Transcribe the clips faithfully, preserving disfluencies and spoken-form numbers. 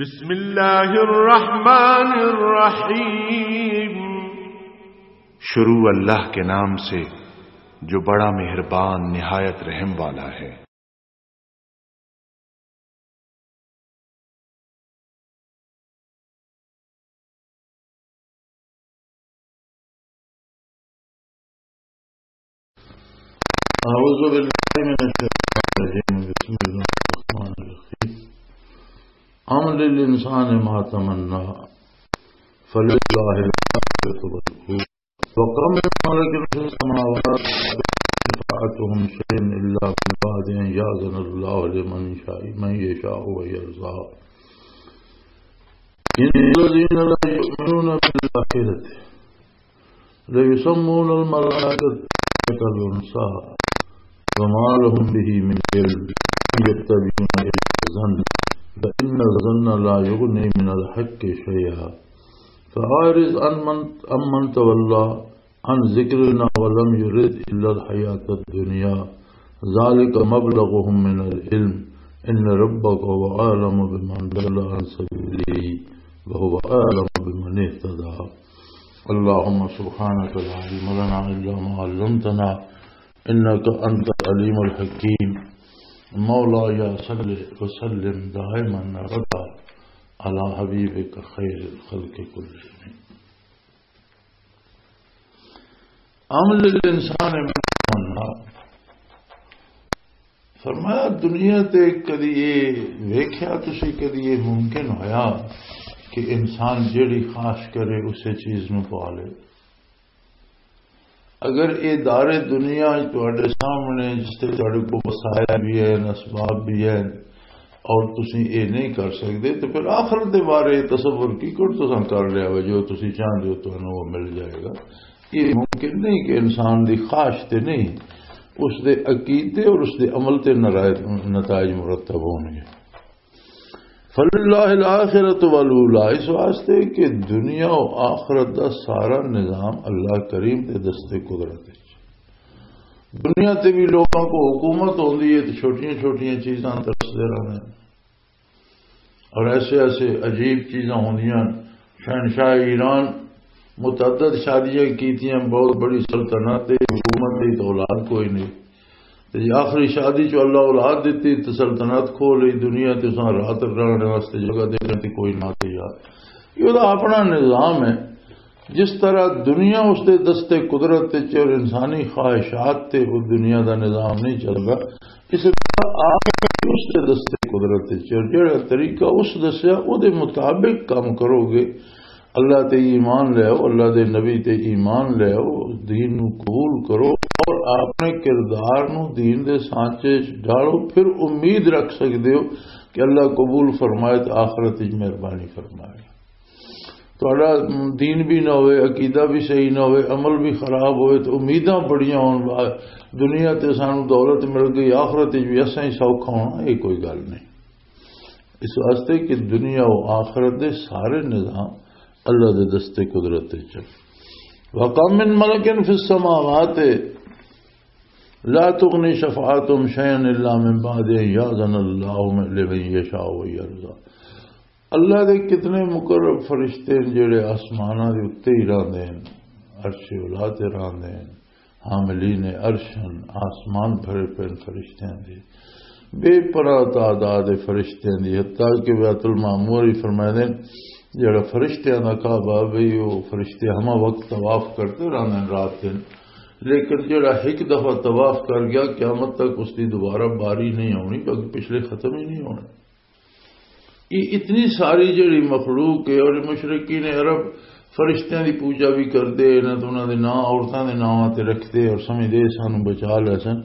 بسم اللہ الرحمن الرحیم۔ شروع اللہ کے نام سے، جو بڑا مہربان، نہایت رحم والا ہے۔ أعوذ بالله من الشيطان الرجيم. بسم الله الرحمن الرحيم. أم للإنسان ما تمنى فلله الآخرة والأولى وكم من ملك في السماوات لا تغني شفاعتهم شيئا إلا من بعد أن يأذن الله لمن يشاء، من يشاء ويرضى. إن الذين لا يؤمنون بالآخرة ليسمون الملائكة تسمية الأنثى وما لهم به من علم إن يتبعون إلا الظن وإن الظن لا يغني من الحق شيئا فأعرض عن من، عمن تولى عن ذكرنا ولم يرد إلا الحياة الدنيا ذلك مبلغهم من العلم إن ربك هو أعلم بمن ضل عن سبيله وهو أعلم بمن اهتدى. اللهم سبحانك لا علم لنا إلا ما علمتنا إنك أنت العليم الحكيم. مولاي صل وسلم دائما أبدا على حبيبك خير الخلق كلهم. عمل الانسان من تمنا۔ فرمایا، دنیا تے کدی یہ ویکھیا تسی، کدی یہ ممکن ہویا کہ انسان جیڑی خواہش کرے اسے چیز نو پا لے؟ اگر یہ دار دنیا تواڈے سامنے، جس تے تواڈے کو وسائل بھی ہیں، اسباب بھی ہیں، اور تسی یہ نہیں کر سکتے، تو پھر آخرت دے بارے تصور کی کر تساں کر لیا ہوئے، جو تسی چاہندے ہو تانوں وہ مل جائے گا۔ یہ ممکن نہیں کہ انسان دی خواہش تے نہیں، اس دے عقیدے اور اس دے عمل تے نرائے-، نتائج مرتب ہون گے۔ فللہ الآخرۃ والاولیٰ، اس واسطے کہ دنیا و آخرت دا سارا نظام اللہ کریم دے دست قدرت وچ۔ دنیا تے بھی لوگوں کو حکومت ہوندی ہے تو چھوٹیاں چھوٹیاں چیزاں ترسدے رہندے ہیں۔ اور ایسے ایسے عجیب چیزاں ہوندیاں۔ شہنشاہ ایران متعدد شادیاں کیتیاں، بہت بڑی سلطنت ہے، حکومت دی تو اولاد کوئی نہیں۔ تے جے آخری شادی چ اللہ اولاد دتی تے سلطنت کھو لئی، دنیا تے اساں رات رہن واسطے جگہ دیکھن تے کوئی نہ تیار۔ یہ دا اپنا نظام ہے۔ جس طرح دنیا اس دے دست قدرت تے اور انسانی خواہشات تے وہ دنیا دا نظام نہیں چلدا، اس طرح آخرت اس دے دست قدرت تے اور جڑا طریقہ اس دسیا، او دے مطابق کام کرو گے۔ اللہ تے ایمان لے آؤ، اللہ دے نبی تے ایمان لے آؤ، دین نو قبول کرو اور اپنے کردار نو دین دے سانچے وچ ڈالو، پھر امید رکھ سکدے ہو کہ اللہ قبول فرمائے تے آخرت وچ مہربانی فرمائے۔ تہاڈا دین بھی نہ ہوئے، عقیدہ بھی صحیح نہ ہوئے، عمل بھی خراب ہوئے، تو امیداں بڑیاں ہون، دنیا تے سانو دولت مل گئی، آخرت وچ بھی اساں ہی سوکھا ہونا، یہ کوئی گل نہیں۔ اس واسطے کہ دنیا و آخرت دے سارے نظام اللہ دے دست قدرت وچ۔ وَكَم مِّن مَّلَكٍ فِي السَّمَاوَاتِ لَا تُغْنِي شَفَاعَتُهُمْ شَيْئًا إِلَّا مِن بَعْدِ أَن يَأْذَنَ اللَّهُ لِمَن يَشَاءُ وَيَرْضَىٰ۔ اللہ دے کتنے مقرب فرشتے ہیں جڑے آسماناں دے اُتے ہی رہندے ہیں، عرش اولا تے رہندے ہیں، حاملین عرش ہیں، آسمان بھرے پے فرشتیاں دے، بے پناہ تعداد فرشتیاں دی، حتیٰ کہ بیت المعمور ہی فرمائے دے، جڑا فرشتیاں دا کعبہ بھی، وہ فرشتے ہما وقت طواف کرتے رہندے ہیں رات دن، لیکن جڑا ایک دفعہ طواف کر گیا، قیامت تک اس دی دوبارہ باری نہیں آنی، کیونکہ پچھلے ختم ہی نہیں ہونے۔ یہ اتنی ساری جڑی مخلوق ہے، اور مشرکین عرب فرشتیاں دی پوجا بھی کردے، نہ تو انہاں دے نام عورتاں دے ناماں تے رکھدے اور سمجھدے سانو بچا لے سن۔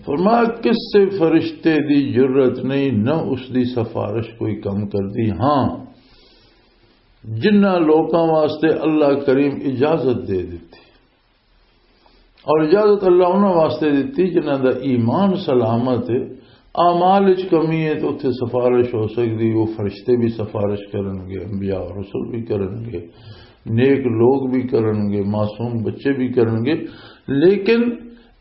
فرمایا، کسے فرشتے دی جرت نہیں، نہ اس دی سفارش کوئی کم کردی۔ ہاں، جنہاں لوکاں واسطے اللہ کریم اجازت دے دتی، اور اجازت اللہ انہاں واسطے دتی جنہاں دا ایمان سلامت ہے، اعمال وچ کمی ہے، تو اتھے سفارش ہو سکدی، وہ فرشتے بھی سفارش کرن گے، انبیاء اور رسول بھی کرن گے، نیک لوگ بھی کرن گے، معصوم بچے بھی کرن گے۔ لیکن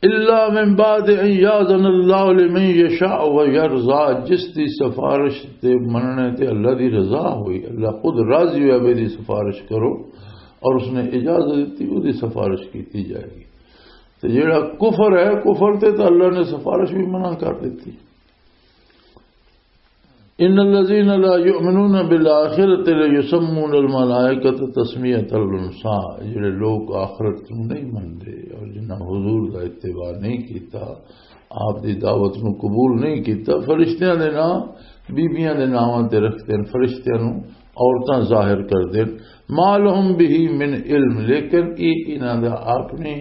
الا من بعد ان یاذن اللہ لمن یشاء و یرضا، جس دی سفارش تے مننے تے اللہ دی رضا ہوئی، اللہ خود راضی ہویا بھی دی سفارش کرو، اور اس نے اجازت دیتی، وہ دی سفارش کیتی جائے گی۔ تے جڑا کفر ہے، کفر تے تو اللہ نے سفارش بھی منع کر دیتی۔ ان الذين لا يؤمنون بالآخرة ليسمون الملائكة تسمية الانثى، جڑے لوگ آخرت نوں نہیں منتے اور جنہاں حضور دا اتباع نہیں کیتا، آپ دی دعوت نوں قبول نہیں کیتا، فرشتیاں دے نام بیبیاں دے ناماں تے رکھتے ہیں، فرشتیاں نوں عورتاں ظاہر کر دین۔ ما لهم به من علم، لیکن یہ انہاں دا اپنی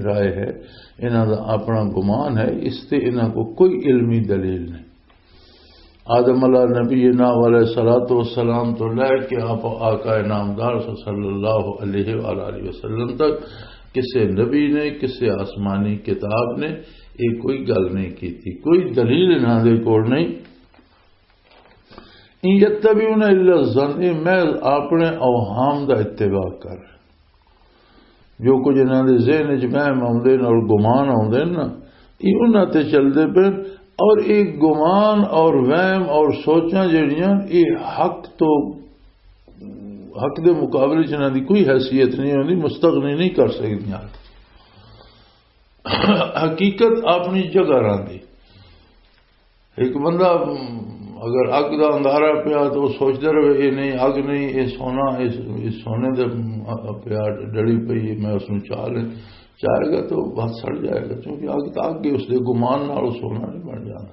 رائے ہے، انہاں دا اپنا گمان ہے، اس تے انہاں کو کوئی علمی دلیل نہیں۔ آدم علیہ نبی نا علیہ الصلوۃ والسلام تو لے کے آپ آقا نامدار صلی اللہ علیہ وآلہ وسلم تک کسے نبی نے، کسے آسمانی کتاب نے یہ کوئی گل نہیں کی تھی، کوئی دلیل انہاں دے کول نہیں۔ ان یتبعون الا الظن، یہ محض اپنے اوہام دا اتباع کر۔ جو کچھ انہاں دے ذہن وچ وہم آوندے نے اور گمان آوندے نے نا، یہ انہاں تے چلدے پے۔ اور یہ گمان اور وہم اور سوچاں جڑیاں، یہ حق تو، حق دے مقابلے چ انہاں دی کوئی حیثیت نہیں ہوندی، مستغنی نہیں کر سکدیاں۔ حقیقت اپنی جگہ رہندی۔ ایک بندہ، م، اگر اگ دا اندھارا پیا تو وہ سوچدا رہے، یہ نہیں، اگ نہیں، یہ سونا، اس، اس سونے دے، م، پیا ڈڑی پئی، میں اس نوں چاہ لیں، چاہے گا تو بس سڑ جائے گا، کیونکہ اگ تو اگ ہے، اس دے گمان نال وہ سونا نہیں بن جانا۔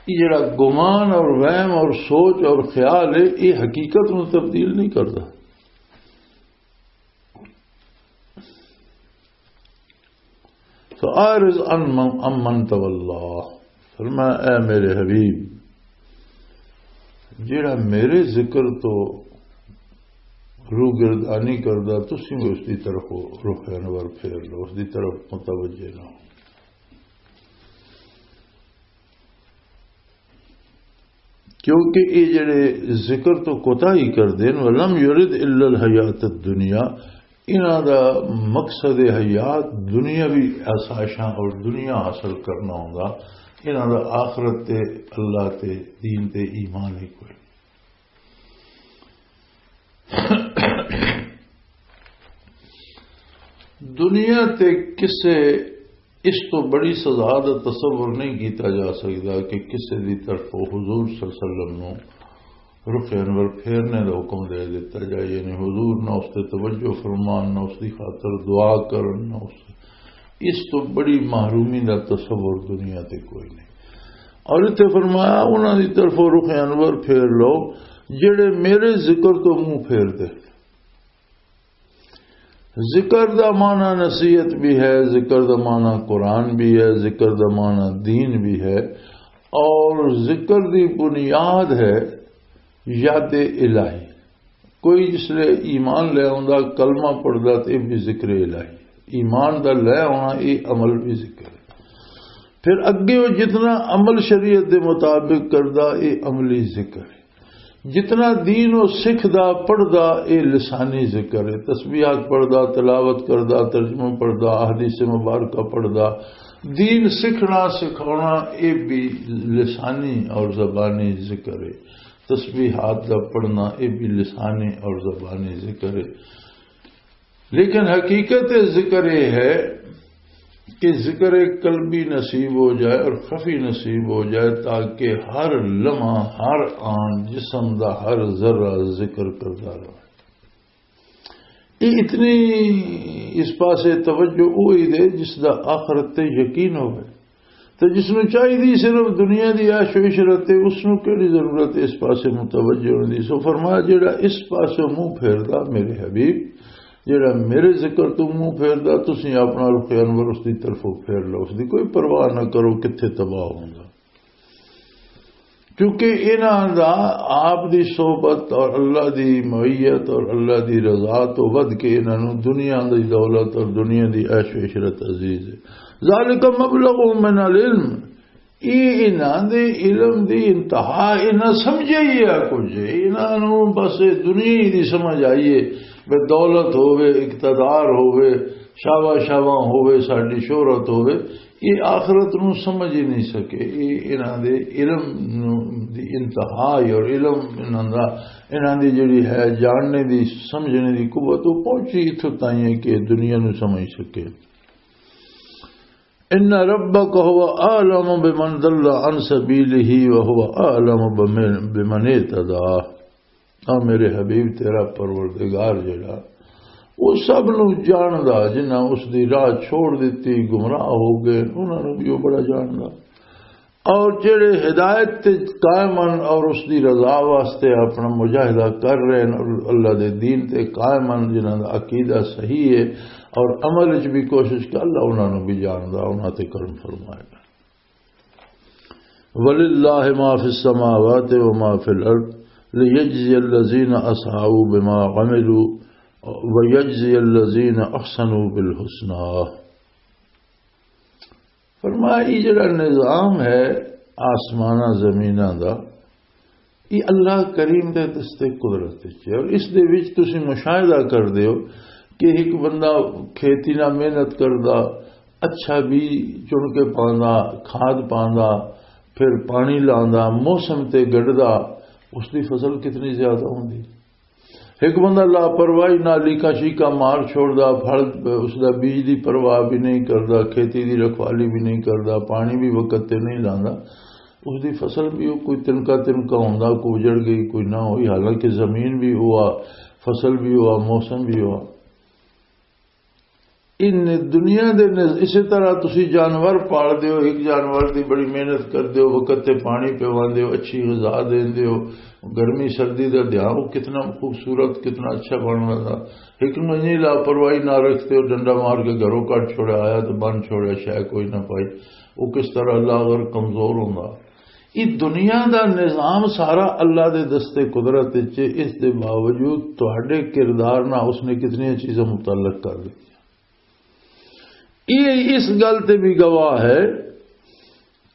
یہ جڑا گمان اور وہم اور سوچ اور خیال ہے، یہ حقیقت نوں تبدیل نہیں کرتا۔ فَأَعْرِضْ عَنْ مَنْ، عَمَّنْ تَوَلَّىٰ۔ فرمایا، اے میرے حبیب، جڑا میرے ذکر تو روگردانی کردا، تسی بھی اس دی طرف رخ انور پھیر لو، اس دی طرف متوجہ نہ ہو۔ کیونکہ یہ جڑے ذکر تو کوتا ہی کر دین، ولم یرد الا الحیات الدنیا، انہاں دا مقصد حیات دنیاوی آسائشاں اور دنیا حاصل کرنا ہوندا، انہاں دا آخرت تے، اللہ تے، دین تے ایمان ہی کوئی۔ دنیا تے کسے اس تو بڑی سزا دا تصور نہیں کیتا جا سکدا کہ کسے دی طرفوں حضور صلی اللہ علیہ وسلم نوں رخ انور پھیرنے دا حکم دے دتا جائے، یعنی حضور نہ اس تے توجہ فرمان، نہ اس دی خاطر دعا کرن، نہ اس، اس تو بڑی محرومی دا تصور دنیا تے کوئی نہیں۔ اور اتنے فرمایا، انہاں دی طرفوں رخ انور پھیر لو جڑے میرے ذکر تو منہ پھیر دے۔ ذکر دا معنی نصیحت بھی ہے، ذکر دا معنی قرآن بھی ہے، ذکر دا معنی دین بھی ہے، اور ذکر دی بنیاد ہے یاد الہی۔ کوئی جس لے ایمان لے آندا، کلمہ پڑھدا، تے یہ بھی ذکر الہی۔ ایمان دا لے آنا، یہ عمل بھی ذکر ہے۔ پھر اگے وہ جتنا عمل شریعت دے مطابق کردا، یہ عملی ذکر ہے۔ جتنا دین وہ سکھدا، پڑھدا، یہ لسانی ذکر ہے۔ تسبیحات پڑھدا، تلاوت کردا، ترجمہ پڑھدا، احادیث مبارکہ پڑھدا، دین سکھنا، سکھاونا، یہ بھی لسانی اور زبانی ذکر ہے۔ تسبیحات دا پڑھنا، یہ بھی لسانی اور زبانی ذکر ہے۔ لیکن حقیقت ذکر یہ ہے کہ ذکر قلبی نصیب ہو جائے اور خفی نصیب ہو جائے، تاکہ ہر لمحہ، ہر آن جسم دا ہر ذرہ ذکر کرتا رہے۔ یہ اتنی اس پاسے توجہ وہی دے جس دا آخرت تے یقین ہوئے۔ تے جس نوں چاہیدی صرف دنیا دی عیش و عشرت ہے، اس نوں کیڑی ضرورت ہے اس پاسے متوجہ ہونے دی؟ سو فرمایا، جڑا اس پاسے منہ پھیردا، میرے حبیب، جڑا میرے ذکر تو منہ پھیردا، تسی اپنا رخ انور اس دی طرفوں پھیر لو، اس دی کوئی پرواہ نہ کرو کتھے تباہ ہوندا۔ کیونکہ انہاں دا آپ دی صحبت اور اللہ دی معیت اور اللہ دی رضا تو ودھ کے انہاں نوں دنیا دی دولت اور دنیا دی عیش و عشرت عزیز ہے۔ ذالک مبلغ من العلم، یہ انہاں دے علم دی انتہا، انہاں سمجھے ہی ہے کچھ، انہاں نوں بس دنیا ہی دی سمجھ آئی ہے، بے دولت ہووے، اقتدار ہووے، شاباش شاباں ہوئے، ساڈی شہرت ہوئے، یہ آخرت نو سمجھ ہی نہیں سکے۔ یہ انہاں دے علم نو، دی انتہا ہے، اور علم انہاں دا، انہاں دی جڑی ہے جاننے دی، سمجھنے دی قوت، وہ پہنچی اتھوں تائیں ہے کہ دنیا نو سمجھ سکے۔ ان ربک هو اعلم بمن ضل عن سبیلہ وهو اعلم بمن، بمن اهتدی۔ آ میرے حبیب، تیرا پروردگار جڑا، وہ سب نو جاندا، جنہاں اس دی راہ چھوڑ دتی، گمراہ ہو گئے، انہاں نو بھی وہ بڑا جاندا۔ اور جڑے ہدایت تے قائم ہن اور اس دی رضا واسطے اپنا مجاہدہ کر رہے ہیں اور اللہ دے دین تے قائم ہن، جنہاں دا عقیدہ صحیح ہے اور عمل وچ بھی کوشش کر، اللہ انہاں نو بھی جاندا، انہاں تے کرم فرمائے۔ وللہ ما فی السماوات و ما فی الارض لیجزی الذین اسعوا بما عملوا ویجزی الذین احسنوا بالحسنی۔ فرمایا، یہ جڑا نظام ہے آسماناں زمیناں دا، یہ اللہ کریم دے دستے قدرت وچ ہے، اور اس دے وچ تسی مشاہدہ کر دیو کہ ایک بندہ کھیتی نہ محنت کردا، اچھا بیج چن کے پاندا، کھاد پاندا، پھر پانی لاندا، موسم تے گڈدا، اس دی فصل کتنی زیادہ ہوندی۔ ایک بندہ لاپرواہی نال لیکا شیکا مار چھوڑدا، پھل اس دا بیج دی پرواہ بھی نہیں کردا، کھیتی دی رکھوالی بھی نہیں کردا، پانی بھی وقت تے نہیں لاندا، اس دی فصل بھی وہ کوئی تنکا تنکا ہوندا، کوئی اجڑ گئی، کوئی نہ ہوئی، حالانکہ زمین بھی ہوا، فصل بھی ہوا، موسم بھی ہوا۔ ان دنیا دے نز-، اسی طرح تسی جانور پال دیو، ایک جانور دی بڑی محنت کر دیو، وقت تے پانی پیوان دیو، اچھی غذا دین دیو، گرمی سردی دا دھیان، وہ کتنا خوبصورت، کتنا اچھا بن رہا تھا۔ ایک نو انی لاپرواہی نہ رکھتے ہو، ڈنڈا مار کے گھروں کٹ چھوڑا، آیا تو بن چھوڑا، شے کوئی نہ پائی، وہ کس طرح اللہ اگر کمزور ہوندا۔ یہ دنیا دا نظام سارا اللہ دے دستے قدرت وچ ہے، اس دے باوجود تہاڈے کردار نہ اس نے کتنی چیزاں متعلق کر دی۔ یہ اس گل تے بھی گواہ ہے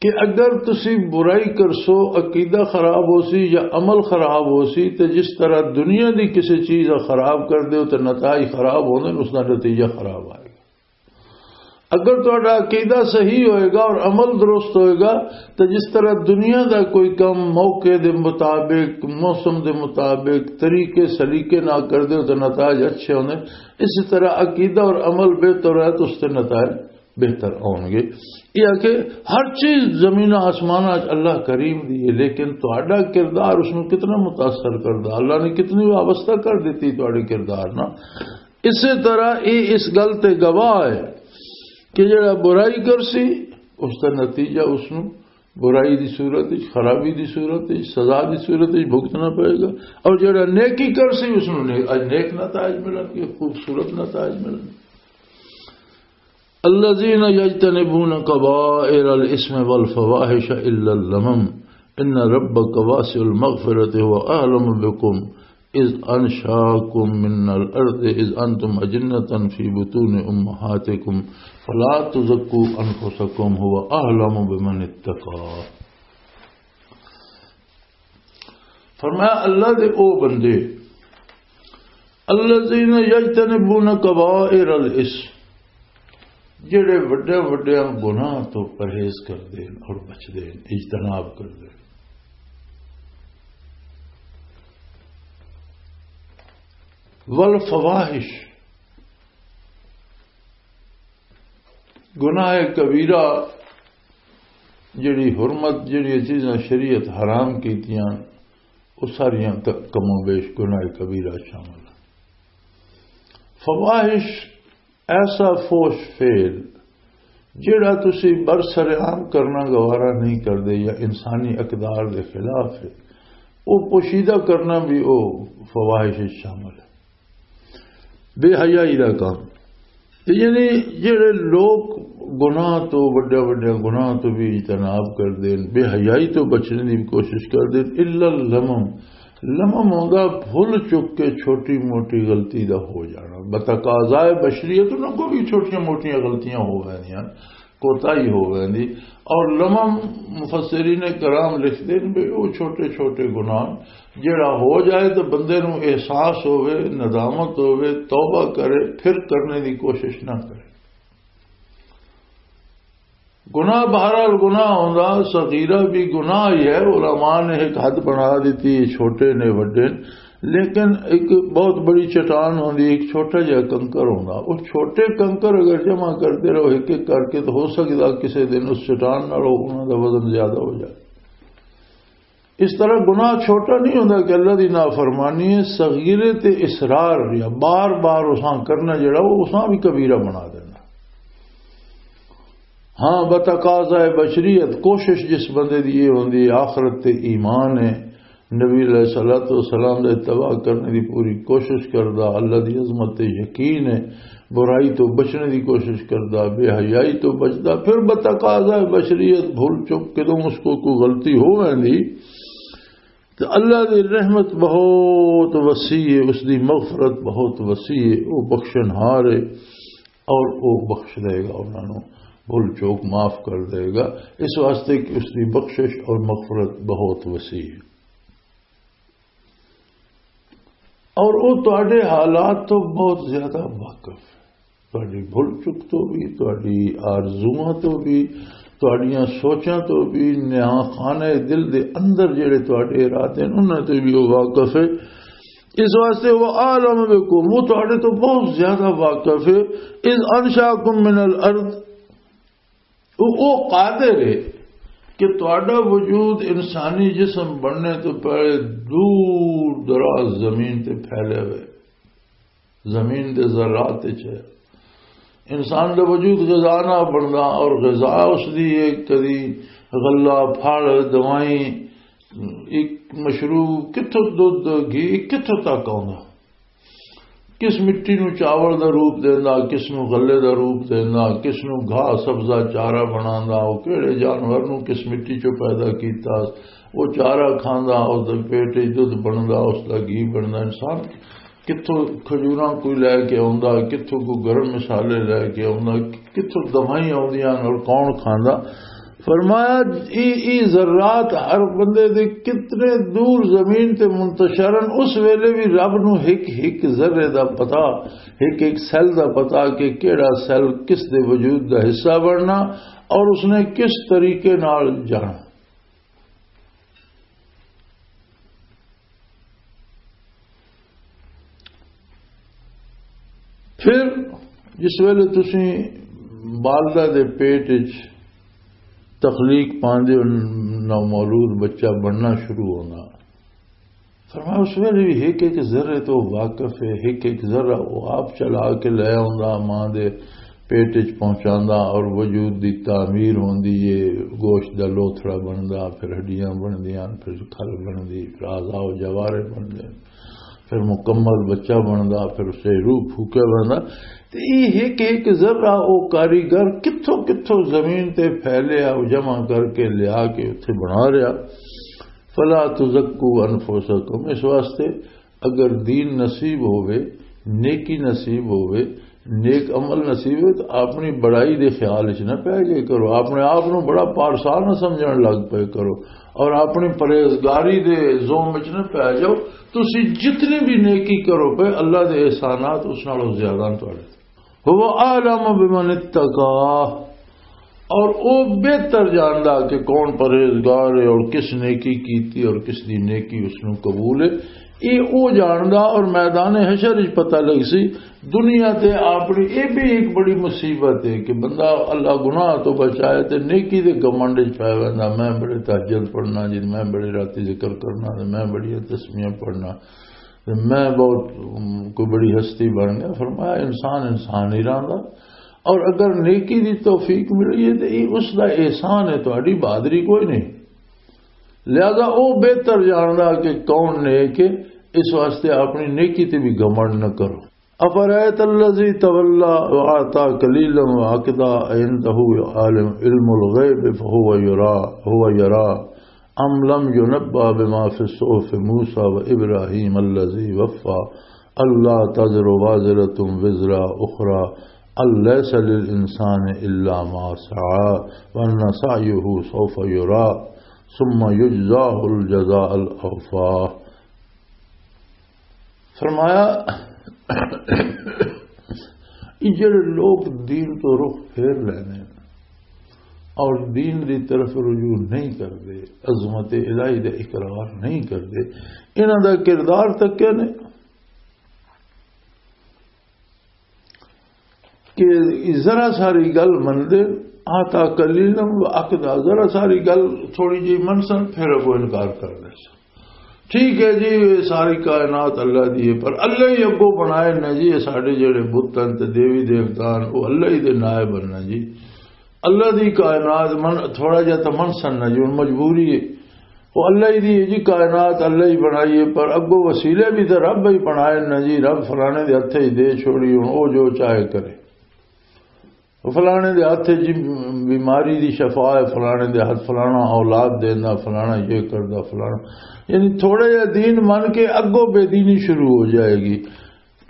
کہ اگر تسی برائی کرسو، عقیدہ خراب ہو سی یا عمل خراب ہو سی، تے جس طرح دنیا دی کسی چیز دا خراب کر دیو تے نتائج خراب ہوندے نے، اس دا نتیجہ خراب آئے گا۔ اگر تہاڈا عقیدہ صحیح ہوئے گا اور عمل درست ہوئے گا، تو جس طرح دنیا دا کوئی کم موقع دے مطابق، موسم دے مطابق، طریقے سلیقے نہ کر دیو تو نتائج اچھے ہوندے، اسی طرح عقیدہ اور عمل بہتر ہے تو اس تے نتائج بہتر ہون گے۔ یہ آ کہ ہر چیز زمین آسمان آج اللہ کریم دی ہے، لیکن تہاڈا کردار اس نو کتنا متاثر کردا، اللہ نے کتنی وابستہ کر دیتی تہاڈے کردار نال۔ اسی طرح یہ اس گل تے گواہ ہے کہ جڑا برائی کر سی، اس کا نتیجہ اس نو برائی دی صورت وچ، خرابی دی صورت وچ، سزا دی صورت وچ بھگتنا پائے گا، اور جڑا نیکی کر سی، اس نو نے-، اج نیک نتائج ملن گے، خوبصورت نتائج ملن گے۔ الذين يجتنبون كبائر الإثم والفواحش إلا اللمم إن ربك واسع المغفرة هو أعلم بكم إذ أنشأكم من الأرض إذ أنتم أجنة في بطون أمهاتكم فلا تزكوا أنفسكم هو أعلم بمن اتقى۔ فرمایا، اللہ دے او بندے، الذین یجتنبون کبائر الاثم، جڑے وڈے وڈے گناہ تو پرہیز کردے ہیں اور بچدے ہیں، اجتناب کردے ہیں۔ والفواحش، گناہ کبیرہ، جڑی حرمت، جڑی چیزاں شریعت حرام کیتیاں، وہ ساریاں ک-، کم و بیش گناہ کبیرہ شامل ہیں۔ فواحش، ایسا فوش فعل جڑا تسی برسر عام کرنا گوارا نہیں کردے یا انسانی اقدار دے خلاف ہے، وہ پوشیدہ کرنا بھی وہ فواحش وچ شامل ہے۔ بے حیائی دا کام۔ تے یعنی جڑے لوگ گناہ تو، وڈے وڈے گناہ تو بھی اجتناب کردے ہیں، بے حیائی تو بچنے دی بھی کوشش کردے ہیں، الا اللمم، لمم ہوندا بھول چک کے چھوٹی موٹی غلطی دا ہو جانا۔ بتقاضائے بشریت انہاں کو بھی چھوٹیاں موٹیاں غلطیاں ہو ویندیاں۔ کوتاہی ہو ویندی۔ اور لمم مفسرین کرام لکھدے نے بھی وہ چھوٹے چھوٹے گناہ، جڑا ہو جائے تو بندے نوں احساس ہووے، ندامت ہووے، توبہ کرے، پھر کرنے دی کوشش نہ کرے۔ گناہ بہرحال گناہ ہوندا، صغیرہ بھی گناہ ہی ہے۔ علماء نے ایک حد بنا دیتی، چھوٹے نے، وڈے نے، لیکن ایک بہت بڑی چٹان ہوندی، ایک چھوٹا جہا کنکر ہوندا۔ وہ چھوٹے کنکر اگر جمع کرتے رہو ایک ایک کر کے، تو ہو سکتا کسی دن اس چٹان نال انہاں دا وزن زیادہ ہو جائے۔ اس طرح گناہ چھوٹا نہیں ہوندا کہ اللہ دی نافرمانی ہے، صغیرے تے اصرار یا بار بار اساں کرنا جڑا، وہ اساں بھی کبیرہ بنا دینا۔ ہاں، بتقاضائے بشریت، کوشش جس بندے دی یہ ہوندی ہے، آخرت تے ایمان ہے، نبی علیہ الصلوۃ والسلام دا اتباع کرنے دی پوری کوشش کردا، اللہ دی عظمت تے یقین ہے، برائی تو بچنے دی کوشش کردا، بے حیائی تو بچدا، پھر بتقاضائے بشریت بھول چک کے تو اس کو کوئی غلطی ہو ویندی، تو اللہ دی رحمت بہت وسیع ہے، اس دی مغفرت بہت وسیع ہے، وہ بخشن ہار ہے اور وہ بخش دے گا انہاں نوں، بھول چوک معاف کر دے گا، اس واسطے کہ اس دی بخشش اور مغفرت بہت وسیع ہے۔ اور وہ تواڈے حالات تو بہت زیادہ واقف ہے، تواڈی بھول چک تو بھی، تواڈی آرزواں تو بھی، تواڈیاں سوچاں تو بھی، نیاں خانہ دل دے اندر جڑے تواڈے ارادے نے، انہاں تو بھی وہ واقف ہے۔ اس واسطے وہ عالم بكم، وہ تواڈے تو بہت زیادہ واقف ہے۔ اذ انشاکم من الارض، وہ، وہ قادر ہے کہ تہاڈا وجود انسانی جسم بننے تو پہلے دور دراز زمین تے پھیلے ہوئے، زمین دے ذرات وچ ہے۔ انسان دا وجود غذا نہ بندا، اور غذا اس دی ہے کدی غلہ، پھل، دوائیں، ایک مشروب، کتھوں دودھ، گھی، کتھوں تک آوندا؟ کس مٹی نو چاول دا روپ دیندا، کس نو غلے دا روپ دیندا، کس نو گھاہ سبزہ چارہ بناندا، او کیڑے جانور نو کس مٹی چوں پیدا کیتا، او چارہ کھاندا، اس دے پیٹ وچ دودھ بندا، اس دا گھی بندا۔ انسان کتھوں کھجوراں کوئی لے کے آوندا، کتھوں کوئی گرم مصالحے لے کے آوندا، کتھوں دوائیں آوندیاں اور کون کھاندا؟ فرمایا، ای، ای ذرات ہر بندے دے کتنے دور زمین تے منتشر ہن، اس ویلے بھی رب نو ہک ہک ذرے دا پتہ، ہک ہک سیل دا پتہ کہ کیڑا سیل کس دے وجود دا حصہ بننا اور اس نے کس طریقے نال جانا۔ پھر جس ویلے تسی والدہ دے پیٹ وچ تخلیق پاندے ہو، نومولود بچہ بننا شروع ہونا، فرمایا، اس ویلے بھی ایک ایک ذرے تو واقف ہے، ایک ایک ذرہ وہ آپ چلا کے لے آوندا، ماں دے پیٹ وچ پہنچاندا اور وجود دی تعمیر ہوندی ہے، گوشت دا لوتھڑا بندا، پھر ہڈیاں بندیاں، پھر کھل بندی، پھر اعضاء و جوارح بندے، پھر مکمل بچہ بندا، پھر اسے روح پھوکیا بندا۔ تے یہ ایک ایک ذرہ او کاریگر کتھوں کتھوں زمین تے پھیلیا، او جمع کر کے لیا کے اتھے بنا رہیا۔ فلا تزکوا انفسکم، اس واسطے اگر دین نصیب ہووے، نیکی نصیب ہووے، نیک عمل نصیب ہووے، تو اپنی بڑائی دے خیال وچ نہ پے گئے کرو، اپنے آپ نو بڑا پارسا نہ سمجھن لگ پے کرو، اور اپنی پرہیزگاری دے زوم وچ نہ پے جاؤ۔ تسی جتنی بھی نیکی کرو پے، اللہ دے احسانات اس نالوں زیادہ نے تہاڈے۔ هو اعلم بمن اتقى، اور او بہتر جاندا کہ کون پرہیزگار ہے اور کس نیکی کیتی اور کس دی نیکی اس نو قبول ہے۔ اے او جاندا، اور میدان حشر وچ پتہ لگ سی۔ دنیا تے اپنی اے بھی ایک بڑی مصیبت ہے کہ بندہ اللہ گناہ تو بچائے تے نیکی دے گمنڈ وچ پے ویندا، میں بڑے تہجد پڑھنا جی، میں بڑے راتی ذکر کرنا، تے میں بڑی تسبیحاں پڑھنا، تے میں بہت، ام، کوئی بڑی ہستی بن گیا۔ فرمایا، انسان انسان ہی رہندا، اور اگر نیکی دی توفیق ملی ہے تے یہ اس دا احسان ہے، تہاڈی بہادری کوئی نہیں۔ لہذا او بہتر جاندا کہ کون نیک ہے، اس واسطے اپنی نیکی تے بھی گھمنڈ نہ کرو۔ افرأيت الذي تولى وأعطى قليلا وأكدى أعنده علم الغيب فهو يرى، هو يرى أم لم ينبأ بما في صحف موسى وإبراهيم الذي وفى، ألا تزر وازرة وزر أخرى، أن ليس للإنسان إلا ما سعى وأن سعيه سوف يرى ثم يجزاه الجزاء الأوفى۔ فرمایا، یہ جڑے لوگ دین تو رخ پھیر لینے اور دین دی طرف رجوع نہیں کردے، عظمت الہی دا اقرار نہیں کردے، انہاں دا کردار تکیا نے کہ ذرا ساری گل مندے، آتا قلیلا و اقدا، ذرا ساری گل تھوڑی جی منسن، پھر اگو انکار کر دے۔ ٹھیک ہے جی، یہ ساری کائنات اللہ دی ہے، پر اللہ ہی اگو بنائے نا جی، یہ ساڈے جڑے بت ہیں تے دیوی دیوتا ہیں، وہ اللہ ہی دے نائب ہیں نا جی۔ اللہ دی کائنات من، تھوڑا جہا تو منسن نا جی، ہن مجبوری ہے۔ وہ اللہ ہی دی ہے جی، کائنات اللہ ہی بنائی ہے، پر اگو وسیلے بھی تو رب ہی بنائے نا جی۔ رب فلانے دے ہتھے ہی دے چھوڑی، ہن وہ جو چاہے کرے۔ وہ فلانے دے ہتھ جی بیماری دی شفا ہے، فلانے دے ہتھ فلانا اولاد دیندا، فلانا یہ کردا، فلانا، یعنی تھوڑا جہا دین من کے اگوں بے دینی شروع ہو جائے گی۔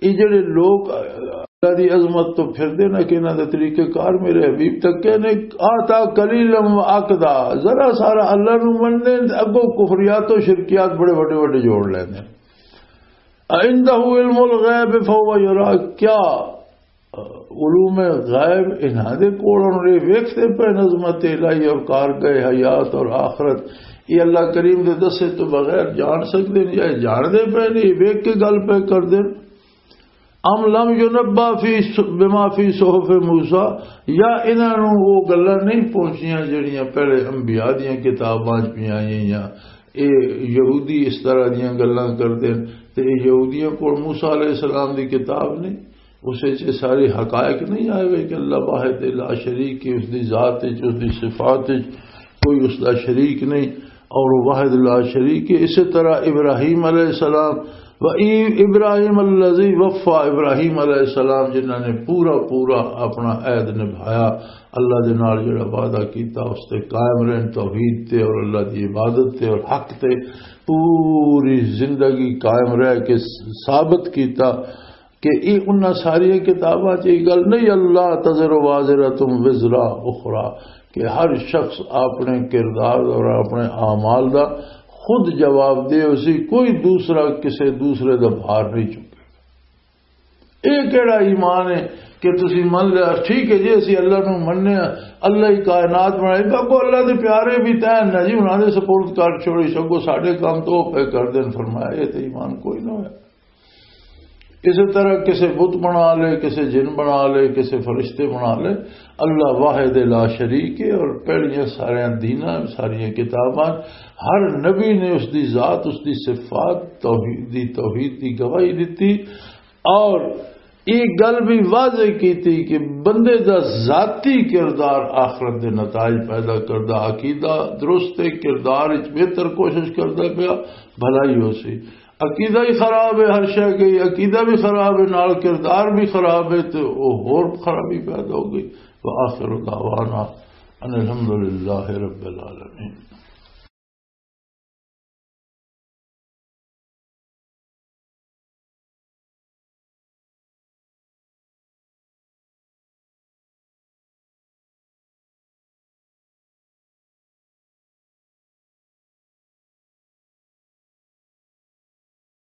یہ جڑے لوگ اللہ دی عظمت تو پھردے نہ کہ انہاں دے طریقہ کار میرے حبیب تک کہنے، آتا قلیلا و اقدا، ذرا سارا اللہ نو مننے، اگوں کفریات و شرکیات بڑے وڈے وڈے جوڑ لیندے۔ عنده علم الغیب فهو یرا، کیا علوم غیب انہاں دے کول ہن؟ یہ ویکھدے پے عظمت الہی اور کارگاہ حیات اور آخرت، یہ اللہ کریم دے دسے تو بغیر جان سکدے نے یا جان دے پے نے؟ یہ ویکھ کے گل پے کردے۔ ام لم ینبا فی س-، بما فی صحف موسیٰ، یا انہاں نوں وہ گلاں نہیں پہنچیاں جڑیاں پہلے انبیاء دیاں کتاباں چ پیاں آئیاں؟ اے یہودی اس طرح دیاں گلاں کردے نے، تے اے یہودیاں کول موسیٰ علیہ السلام دی کتاب نہیں، اس وچ اے سارے حقائق نہیں آئے ہوئے کہ اللہ واحد لا شریک ہے، اس دی ذات وچ، اس دی صفات وچ کوئی اس دا شریک نہیں، اور وہ واحد لا شریک ہے۔ اسی طرح ابراہیم علیہ السلام، و ای-، ابراہیم الذی وفا، ابراہیم علیہ السلام جنہاں نے پورا پورا اپنا عہد نبھایا، اللہ دے نال جڑا وعدہ کیتا اس تے قائم رہن، توحید تے اور اللہ دی عبادت تے اور حق تے پوری زندگی قائم رہ کے ثابت کیتا کہ یہ انہاں ساری کتاباں چ یہ گل نہیں، اللہ تزر وازرۃ وزر اخری، کہ ہر شخص اپنے کردار اور اپنے اعمال دا خود جواب دے، اسی کوئی دوسرا کسے دوسرے دا بھار نہیں چکے۔ یہ کہڑا ایمان ہے کہ تسی من لیا، ٹھیک ہے جی، اسی اللہ نو مننے ہاں، اللہ ہی کائنات بنائی، اگو اللہ دے پیارے بھی تین نہ جی، انہاں دے سپرد کر چھوڑی، سگو ساڈے کام تو وہ پے کر دین۔ فرمایا، یہ تے ایمان کوئی نہ ہویا۔ اسی طرح کسے بت بنا لے، کسے جن بنا لے، کسے فرشتے بنا لے، اللہ واحد لا شریک ہے۔ اور پہلیاں ساریاں دیناں، ساریاں کتاباں، ہر نبی نے اس دی ذات، اس دی صفات، توحید دی، توحید دی گواہی دتی۔ اور یہ گل بھی واضح کیتی کہ بندے دا ذاتی کردار آخرت دے نتائج پیدا کردا۔ عقیدہ درست ہے، کردار وچ بہتر کوشش کردا پیا، بھلائی ہو سی۔ عقیدہ ہی خراب ہے، ہر شے گئی، عقیدہ بھی خراب ہے، نال کردار بھی خراب ہے، تے او ہور خرابی پیدا ہو گئی۔ وآخر دعوانا ان الحمدللہ رب العالمین۔